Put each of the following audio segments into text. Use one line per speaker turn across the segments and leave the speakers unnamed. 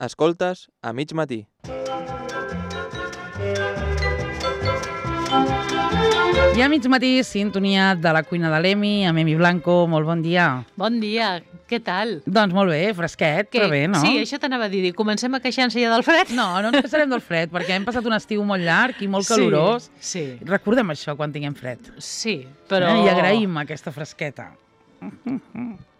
Escoltes a mig matí.
I a mig matí, sintonia de la cuina de l'Emi, amb Emi Blanco. Molt bon dia.
Bon dia, què tal?
Doncs molt bé, fresquet, però bé, no?
Sí, això t'anava a dir. Comencem a queixar-nos ja del fred?
No ens queixarem del fred, perquè hem passat un estiu molt llarg i molt calorós.
Sí.
Recordem això quan tinguem fred.
Sí, però...
I agraïm aquesta fresqueta.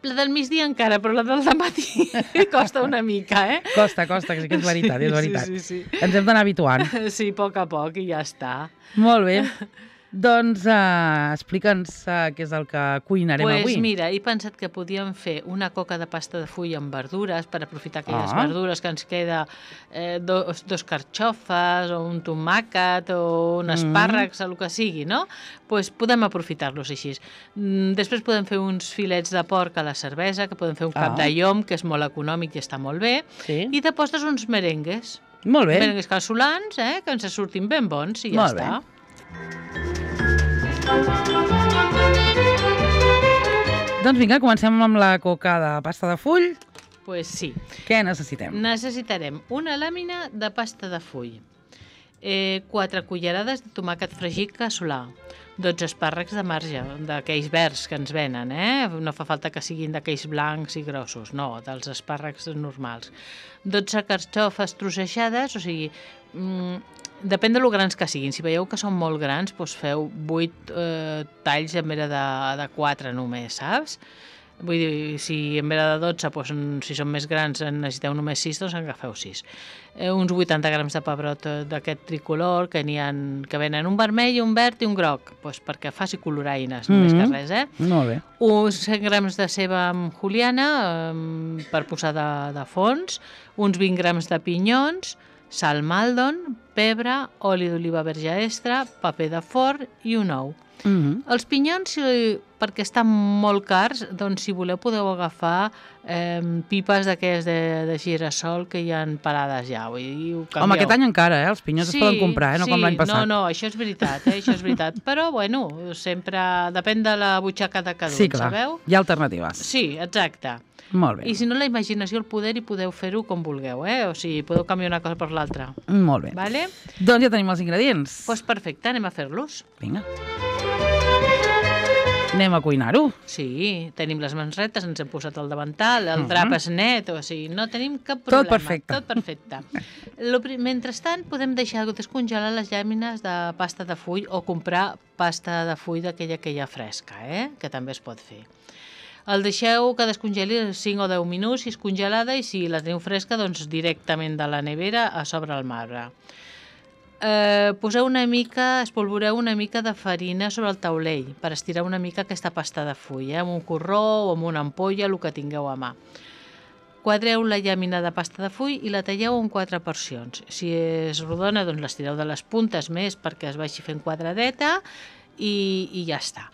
La del migdia encara, però la del dematí costa una mica, eh?
Costa, que sí que és veritat, és veritat.
Sí.
Ens hem d'anar habituant.
Sí, a poc a poc i ja està.
Molt bé. Doncs explica'ns què és el que cuinarem avui.
Doncs mira, he pensat que podíem fer una coca de pasta de full amb verdures per aprofitar aquelles verdures que ens queda, dos carxofes o un tomàquet o un espàrrecs, el que sigui, no? Doncs podem aprofitar-los així. Després podem fer uns filets de porc a la cervesa, que podem fer un cap de llom, que és molt econòmic i està molt bé, i de postres uns merengues.
Molt bé.
Merengues casolans, que ens surtin ben bons i ja està.
Doncs vinga, comencem amb la coca de pasta de full.
Pues sí.
Què necessitem?
Necessitarem una làmina de pasta de full, 4 cullerades de tomàquet fregit casolà, 12 espàrrecs de marge, d'aquells verds que ens venen, No fa falta que siguin d'aquells blancs i grossos, no, dels espàrrecs normals. 12 carxofes trossejades, o sigui, depèn de lo grans que siguin. Si veieu que són molt grans, doncs feu 8 talls en vez de 4 només, saps? Vull dir, si en vez de 12, doncs, si són més grans necessiteu només 6, doncs en agafeu 6. Uns 80 grams de pebrot d'aquest tricolor, que venen un vermell, un verd i un groc, doncs perquè faci coloraines, només que res,
Molt bé.
Uns 100 grams de ceba amb juliana per posar de fons, uns 20 grams de pinyons, sal maldon, pebre, oli d'oliva verge extra, paper de forn i un ou. Els pinyons, perquè estan molt cars, doncs si voleu podeu agafar pipes d'aquelles de girassol que hi ha parades ja. Vull dir,
home, aquest any encara, els pinyons es poden comprar, no com l'any passat.
No, això és veritat, això és veritat. Però, bueno, sempre depèn de la butxaca de cada un,
sí, clar.
Sabeu?
Hi ha alternatives.
Sí, exacte.
Molt bé.
I si no, la imaginació, el poder, i podeu fer-ho com vulgueu, O sigui, podeu canviar una cosa per l'altra.
Molt bé.
Vale?
Doncs ja tenim els ingredients.
Doncs perfecte, anem a fer-los.
Vinga. Anem a cuinar-ho.
Sí, tenim les mans retes, ens hem posat el davantal, el drap és net, o sigui, no tenim cap problema.
Tot perfecte.
Mentrestant, podem deixar descongelar les llàmines de pasta de full o comprar pasta de full d'aquella que hi ha fresca, que també es pot fer. El deixeu que descongeli 5 o 10 minuts si és congelada, i si la teniu fresca, doncs directament de la nevera a sobre el marbre. Espolvoreu una mica de farina sobre el taulell per estirar una mica aquesta pasta de full, amb un corró o amb una ampolla, el que tingueu a mà. Quadreu la llàmina de pasta de full i la talleu en 4 porcions. Si és rodona, doncs l'estireu de les puntes més perquè es vagi fent quadradeta i ja està.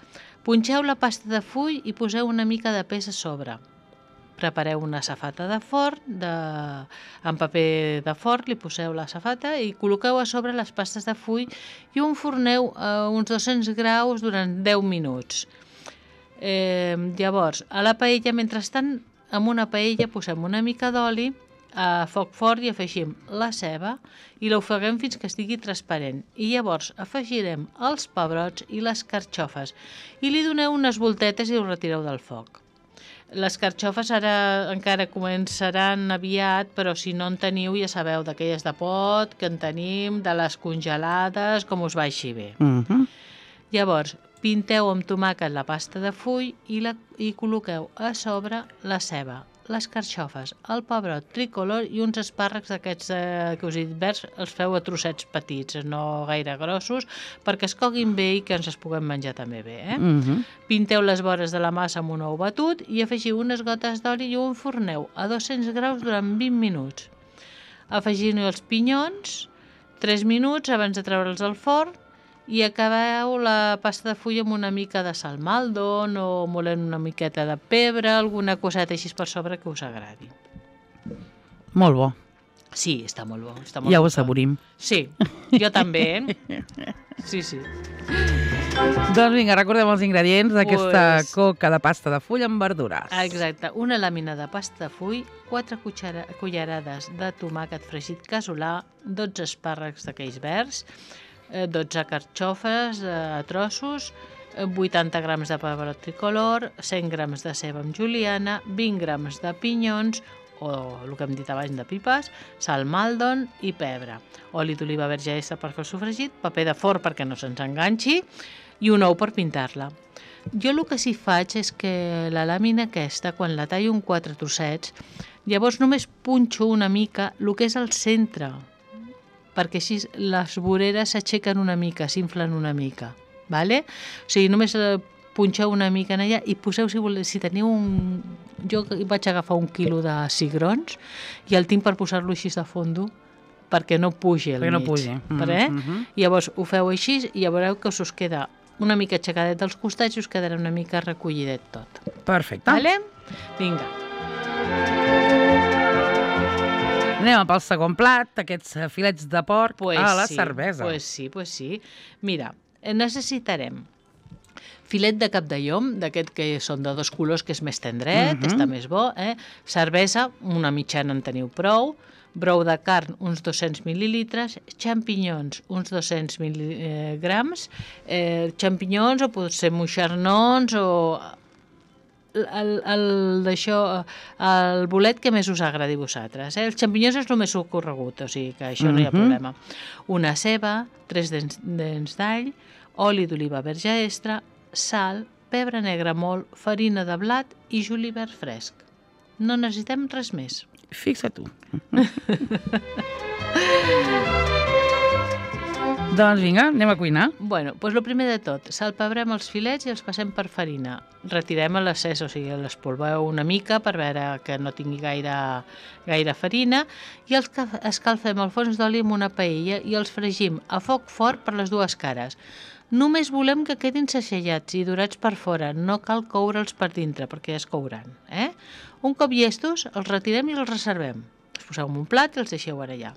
Punxeu la pasta de full i poseu una mica de peix a sobre. Prepareu una safata de forn, amb paper de forn, li poseu la safata i col·loqueu a sobre les pastes de full i ho enforneu a uns 200 graus durant 10 minuts. Llavors, a la paella, mentrestant, amb una paella posem una mica d'oli a foc fort i afegim la ceba i l'ofeguem fins que estigui transparent. I llavors afegirem els pebrots i les carxofes i li doneu unes voltetes i ho retireu del foc. Les carxofes ara encara començaran aviat, però si no en teniu, ja sabeu, d'aquelles de pot que en tenim, de les congelades, com us vagi bé. Llavors, pinteu amb tomàquet la pasta de full i col·loqueu a sobre la ceba, les carxofes, el pebrot tricolor i uns espàrrecs d'aquests que us he dit verds, els feu a trossets petits, no gaire grossos, perquè es coguin bé i que ens els puguem menjar també bé. Pinteu les vores de la massa amb un ou batut i afegiu unes gotes d'oli i ho enforneu a 200 graus durant 20 minuts. Afegiu els pinyons 3 minuts abans de treure'ls al forn i acabeu la pasta de full amb una mica de sal maldon o molent una miqueta de pebre, alguna coseta així per sobre que us agradi.
Molt bo.
Sí, està molt bo.
Ja ho assaborim.
Sí, jo també. Sí.
Doncs vinga, recordem els ingredients d'aquesta
Pues-
coca de pasta de full amb verdures.
Exacte, una làmina de pasta de full, 4 cullerades de tomàquet fregit casolà, 12 espàrrecs d'aquells verds, 12 carxofes a trossos, 80 grams de pebrot tricolor, 100 grams de ceba amb juliana, 20 grams de pinyons, o el que hem dit abans de pipes, sal maldon i pebre, oli d'oliva verge extra per fer el sofregit, paper de forn perquè no se'ns enganxi i un ou per pintar-la. Jo el que sí faig és que la làmina aquesta, quan la tallo en 4 trossets, llavors només punxo una mica el que és el centre, perquè així les voreres s'aixequen una mica, s'inflen una mica. Vale? O sigui, només punxeu una mica en allà i poseu, si teniu un... Jo vaig agafar 1 quilo de cigrons i el tinc per posar-lo així de fondo perquè no pugi al mig.
Perquè no pugi.
Llavors ho feu així i ja veureu que us queda una mica aixecadet dels costats i us quedarà una mica recollidet tot.
Perfecte.
Vale? Vinga.
Anem pel segon plat, aquests filets de porc a la cervesa.
Pues sí. Mira, necessitarem filet de cap de llom, d'aquest que són de 2 colors, que és més tendret, està més bo, cervesa, una mitjana en teniu prou, brou de carn, uns 200 mil·lilitres, xampinyons, uns 200 grams, xampinyons o potser moixernons o el bolet que més us agradi a vosaltres. Els xampinyons és el més ocorregut, o sigui que això no hi ha problema. Una ceba, 3 dents d'all, oli d'oliva verge extra, sal, pebre negre molt, farina de blat i julivert fresc. No necessitem res més.
Fixa tu. Doncs vinga, anem a cuinar.
Bueno, doncs el primer de tot, salpebrem els filets i els passem per farina. Retirem l'accés, o sigui, l'espolveu una mica per veure que no tingui gaire farina i els escalfem al fons d'oli amb una paella i els fregim a foc fort per les dues cares. Només volem que quedin sacellats i dorats per fora, no cal coure'ls per dintre perquè ja es couran. Un cop llestos, els retirem i els reservem. Els poseu en un plat i els deixeu ara allà.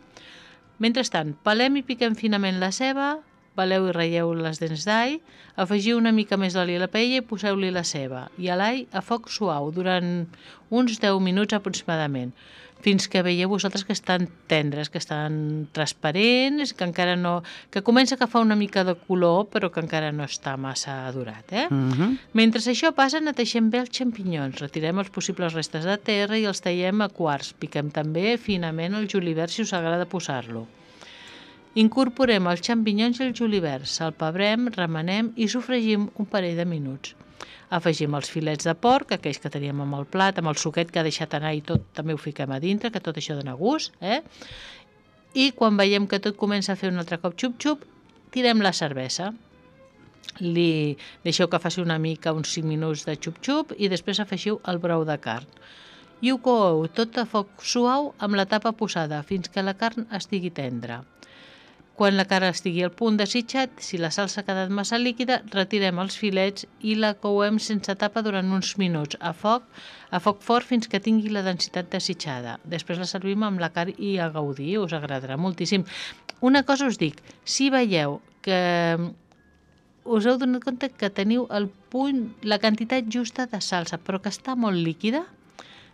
Mentrestant, pelem i piquem finament la ceba, peleu i ratlleu les dents d'all, afegiu una mica més d'oli a la paella i poseu-li la ceba i a l'all a foc suau durant uns 10 minuts aproximadament, fins que veieu vosaltres que estan tendres, que estan transparents, que encara no... que comença a agafar una mica de color, però que encara no està massa durat. Mentre això passa, neteixem bé els xampinyons, retirem els possibles restes de terra i els tallem a quarts. Piquem també finament el julivert si us agrada posar-lo. Incorporem els xampinyons i el julivert, salpebrem, remenem i sofregim un parell de minuts. Afegim els filets de porc, aquells que teníem amb el plat, amb el suquet que ha deixat anar i tot, també ho fiquem a dintre, que tot això dona gust. I quan veiem que tot comença a fer un altre cop xup-xup, tirem la cervesa. Li deixeu que faci una mica, uns 5 minuts de xup-xup i després afegiu el brou de carn. I ho coeu tot a foc suau amb la tapa posada fins que la carn estigui tendra. Quan la carn estigui al punt desitjat, si la salsa ha quedat massa líquida, retirem els filets i la couem sense tapa durant uns minuts, a foc fort fins que tingui la densitat desitjada. Després la servim amb la carn i a gaudir, us agradarà moltíssim. Una cosa us dic, si veieu que us heu donat compte que teniu el punt, la quantitat justa de salsa, però que està molt líquida,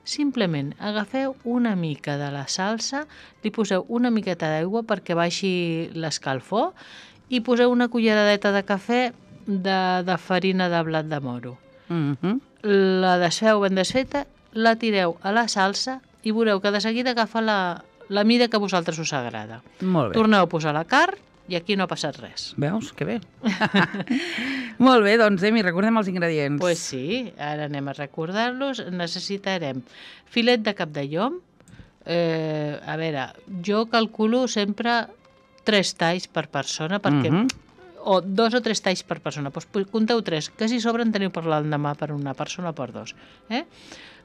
simplement agafeu una mica de la salsa, li poseu una miqueta d'aigua perquè baixi l'escalfor i poseu una culleradeta de cafè de farina de blat de moro. La desfeu ben desfeta, la tireu a la salsa i veureu que de seguida agafa la mida que a vosaltres us agrada.
Molt bé.
Torneu a posar la carn i aquí no ha passat res.
Veus? Que bé. Molt bé, doncs, Emi, recordem els ingredients.
Pues sí, ara anem a recordar-los. Necessitarem filet de cap de llom. A veure, jo calculo sempre 3 talls per persona, perquè o 2 o 3 talls per persona. Doncs compteu 3, que si sobren teniu per l'endemà per una persona o per 2.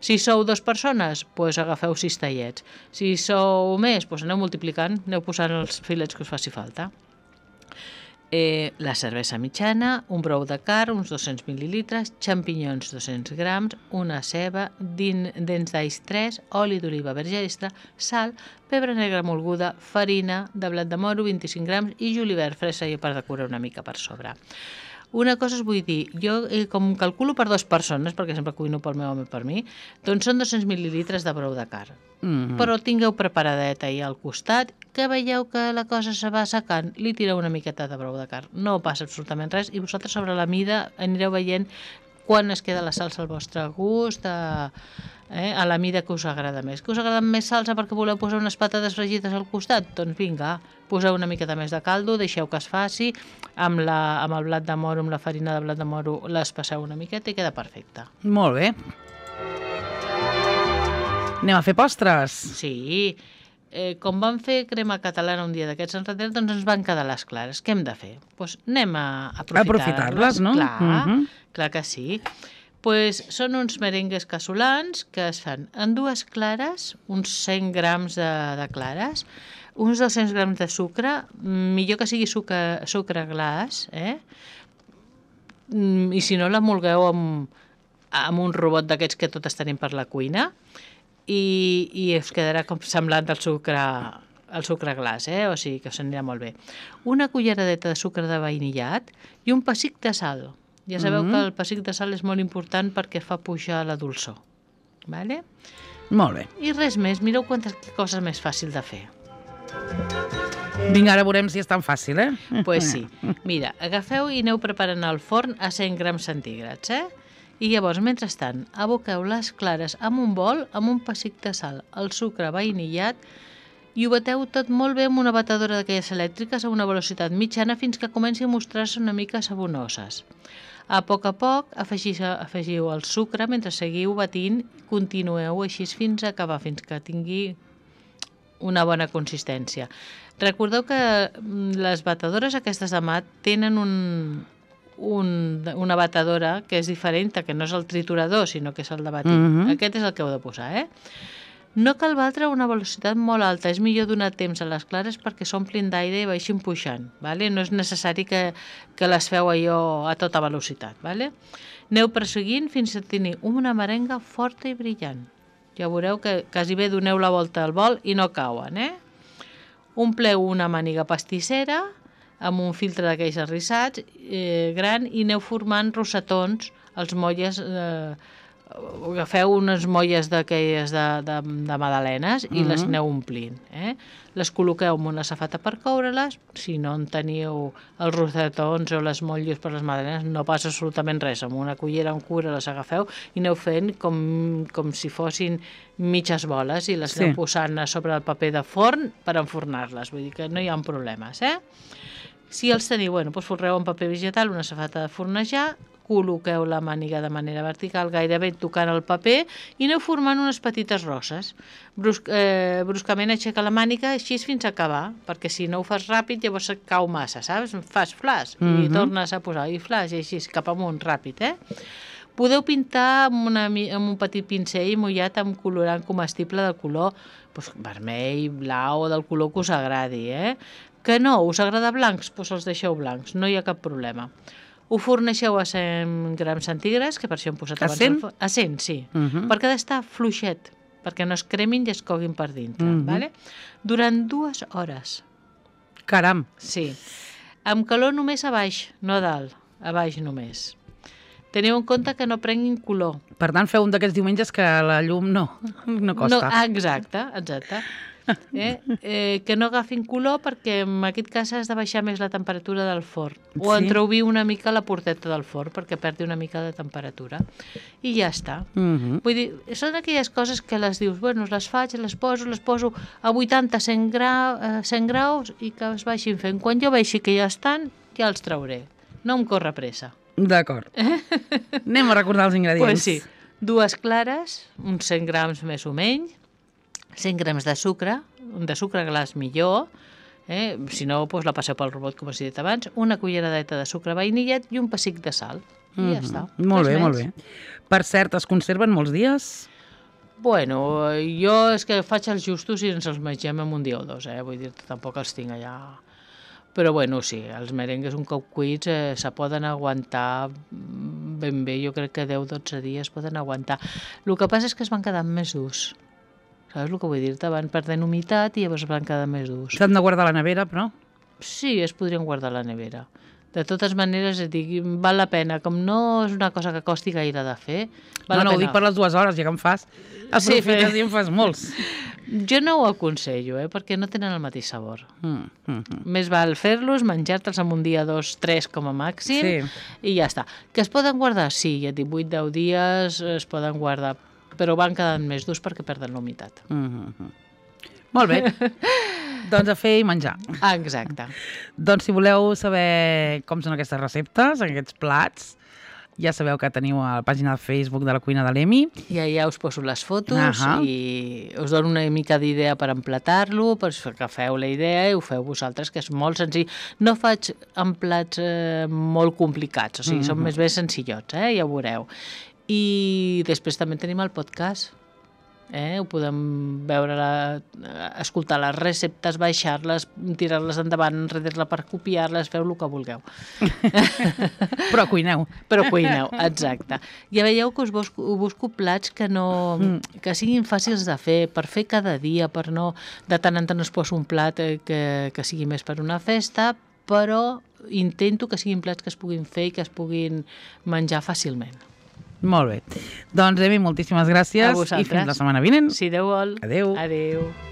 Si sou 2 persones, doncs agafeu 6 tallets. Si sou més, doncs aneu multiplicant, aneu posant els filets que us faci falta. La cervesa mitjana, un brou de carn, uns 200 mil·lilitres, xampinyons 200 grams, una ceba, dents d'alls 3, oli d'oliva verge extra, sal, pebre negre molguda, farina de blat de moro 25 grams i julivert fresa per decorar una mica per sobre. Una cosa us vull dir, jo com calculo per 2 persones, perquè sempre cuino pel meu home i per mi, doncs són 200 mil·lilitres de brou de carn. Però tingueu preparadet ahir al costat, que veieu que la cosa se va secant, li tireu una miqueta de brou de carn. No passa absolutament res i vosaltres sobre la mida anireu veient quan es queda la salsa al vostre gust, a la mida que us agrada més. Que us agrada més salsa perquè voleu posar unes patates fregides al costat? Doncs vinga, poseu una miqueta més de caldo, deixeu que es faci, amb el blat de moro, amb la farina de blat de moro, les passeu una miqueta i queda perfecte.
Molt bé. Anem a fer postres.
Sí, com vam fer crema catalana un dia d'aquests enrere, doncs ens van quedar les clares. Què hem de fer? Doncs anem a aprofitar-les,
no?
Clar que sí. Pues són uns merengues casolans que es fan en 2 clares, uns 100 grams de clares, uns 200 grams de sucre, millor que sigui sucre glaç, i si no l'emolgueu amb un robot d'aquests que totes tenim per la cuina, i us quedarà com semblant al sucre glaç, o sigui que us anirà molt bé. Una culleradeta de sucre de vainillat i un pessic de sal. Ja sabeu que el pessic de sal és molt important perquè fa pujar la dolçor. Vale?
Molt bé.
I res més, mireu quantes coses més fàcil de fer.
Vinga, ara veurem si és tan fàcil,
Pues sí. Mira, agafeu i aneu preparant el forn a 100 grams centígrads, I llavors, mentrestant, aboqueu les clares amb un bol, amb un pessic de sal, el sucre vainillat, i ho bateu tot molt bé amb una batedora d'aquelles elèctriques a una velocitat mitjana fins que comenci a mostrar-se una mica sabonoses. A poc afegiu el sucre mentre seguiu batint, continueu així fins a acabar, fins que tingui una bona consistència. Recordeu que les batedores aquestes de mat tenen una batedora que és diferent, que no és el triturador, sinó que és el de batir. Aquest és el que heu de posar, No cal batre a una velocitat molt alta, és millor donar temps a les clares perquè s'omplin d'aire i baixin pujant, vale? No és necessari que les feu allò a tota velocitat. Vale? Aneu perseguint fins a tenir una merenga forta i brillant. Ja veureu que quasi bé doneu la volta al bol i no cauen. Ompleu una màniga pastissera amb un filtre d'aquells arrissats gran i aneu formant rosetons, els molles agafeu unes molles d'aquelles de magdalenes i les aneu omplint. Les col·loqueu en una safata per coure-les. Si no en teniu els rosetons o les motlles per les magdalenes, no passa absolutament res. Amb una cullera amb cura les agafeu i aneu fent com si fossin mitges boles i les aneu posant a sobre el paper de forn per enfornar-les. Vull dir que no hi ha problemes. Si els teniu, doncs folreu en paper vegetal una safata de fornejar, col·loqueu la màniga de manera vertical, gairebé tocant el paper, i aneu formant unes petites roses. Bruscament aixeca la màniga així fins a acabar, perquè si no ho fas ràpid llavors et cau massa, saps? Fas flash i tornes a posar, i flash, i així cap amunt, ràpid, Podeu pintar amb un petit pincell mullat amb colorant comestible de color vermell, blau o del color que us agradi, Que no, us agrada blancs? Doncs els deixeu blancs, no hi ha cap problema. Ho forneixeu a 100 grams centígrads, que per això hem posat abans...
A 100?
A 100, sí. Perquè ha d'estar fluixet, perquè no es cremin i es coguin per dintre. Vale? Durant 2 hores.
Caram!
Sí. Amb calor només a baix, no a dalt. A baix només. Teniu en compte que no prenguin color.
Per tant, feu un d'aquests diumenges que la llum no costa.
Exacte. Que no agafin color perquè en aquest cas has de baixar més la temperatura del forn o entreobrir una mica la porteta del forn perquè perdi una mica de temperatura i ja està. Vull dir, són aquelles coses que les dius, les faig, les poso a 80-100 graus i que es baixin fent. Quan jo vegi que ja estan, ja els trauré. No em corre pressa.
D'acord. Anem a recordar els ingredients.
Pues sí, 2 clares, uns 100 grams més o menys, 100 grams de sucre glaç millor, si no, la passeu pel robot, com us he dit abans, una culleradeta de sucre vainillat i un pessic de sal. I ja està.
Molt bé. Per cert, es conserven molts dies?
Bueno, jo és que faig els justos i ens els mengem en un dia o 2, vull dir, tampoc els tinc allà... Però bueno, sí, els merengues un cop cuits se poden aguantar ben bé, jo crec que 10-12 dies poden aguantar. El que passa és que es van quedar més durs. Saps el que vull dir-te? Van perdent humitat i llavors van quedar més durs.
S'han de guardar a la nevera, però?
Sí, es podrien guardar a la nevera. De totes maneres, val la pena. Com no és una cosa que costi gaire de fer, val la
No, ho
pena.
dic per les 2 hores, ja que en fas. Aprofites i en fas molts.
Jo no ho aconsello, perquè no tenen el mateix sabor. Més val fer-los, menjar-te'ls en un dia, 2, 3 com a màxim, i ja està. Que es poden guardar? Sí, ja et dic, 8-10 dies es poden guardar, però van quedant més durs perquè perden la humitat.
Molt bé. Doncs a fer i menjar.
Exacte.
Doncs si voleu saber com són aquestes receptes, aquests plats, ja sabeu que teniu a la pàgina de Facebook de la cuina de l'Emi.
I allà us poso les fotos i us dono una mica d'idea per emplatar-lo, per que feu la idea i ho feu vosaltres, que és molt senzill. No faig en plats molt complicats, o sigui, són més bé senzillots, ja ho veureu. I després també tenim el podcast. Ho podem veure, escoltar les receptes, baixar-les, tirar-les endavant, enrere-la per copiar-les, feu el que vulgueu.
Però cuineu.
Però cuineu, exacte. Ja veieu que us busco plats que siguin fàcils de fer, per fer cada dia, per no... De tant en tant us poso un plat que sigui més per una festa, però intento que siguin plats que es puguin fer i que es puguin menjar fàcilment.
Molt bé. Doncs, Emi, moltíssimes gràcies.
A vosaltres.
I fins la setmana vinent.
Si Déu vol.
Adéu.
Adéu.